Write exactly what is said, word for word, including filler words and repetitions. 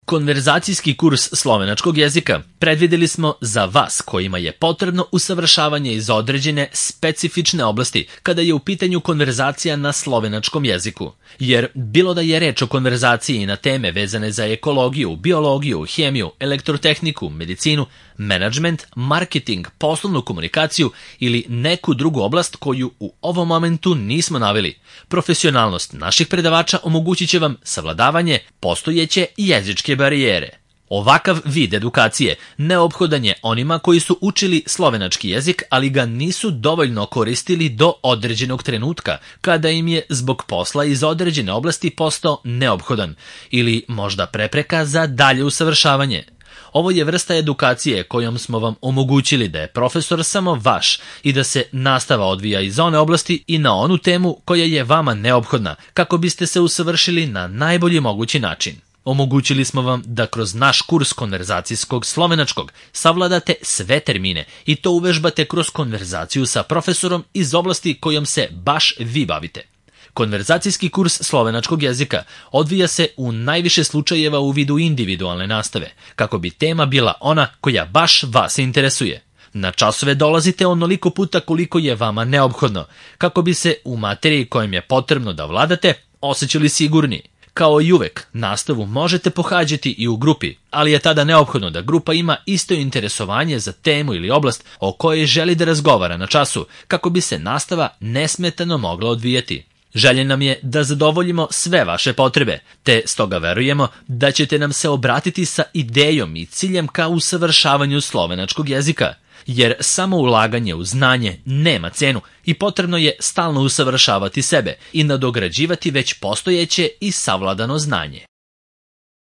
Konverzacijski kurs slovenačkog jezika predvideli smo za vas kojima je potrebno usavršavanje iz određene specifične oblasti kada je u pitanju konverzacija na slovenačkom jeziku. Jer bilo da je reč o konverzaciji na teme vezane za ekologiju, biologiju, hemiju, elektrotehniku, medicinu, menadžment, marketing, poslovnu komunikaciju ili neku drugu oblast koju u ovom momentu nismo naveli, profesionalnost naših predavača omogućit će vam savladavanje postojeće jezičke barijere. Ovakav vid edukacije neophodan je onima koji su učili slovenački jezik, ali ga nisu dovoljno koristili do određenog trenutka, kada im je zbog posla iz određene oblasti postao neophodan ili možda prepreka za dalje usavršavanje. Ovo je vrsta edukacije kojom smo vam omogućili da je profesor samo vaš i da se nastava odvija iz one oblasti i na onu temu koja je vama neophodna, kako biste se usavršili na najbolji mogući način. Omogućili smo vam da kroz naš kurs konverzacijskog slovenačkog savladate sve termine i to uvežbate kroz konverzaciju sa profesorom iz oblasti kojom se baš vi bavite. Konverzacijski kurs slovenačkog jezika odvija se u najviše slučajeva u vidu individualne nastave, kako bi tema bila ona koja baš vas interesuje. Na časove dolazite onoliko puta koliko je vama neophodno, kako bi se u materiji kojom je potrebno da vladate osjećali sigurni. Kao i uvek, nastavu možete pohađati i u grupi, ali je tada neophodno da grupa ima isto interesovanje za temu ili oblast o kojoj želi da razgovara na času, kako bi se nastava nesmetano mogla odvijati. Želje nam je da zadovoljimo sve vaše potrebe, te stoga verujemo da ćete nam se obratiti sa idejom i ciljem ka usavršavanju slovenačkog jezika, jer samo ulaganje u znanje nema cenu i potrebno je stalno usavršavati sebe i nadograđivati već postojeće i savladano znanje.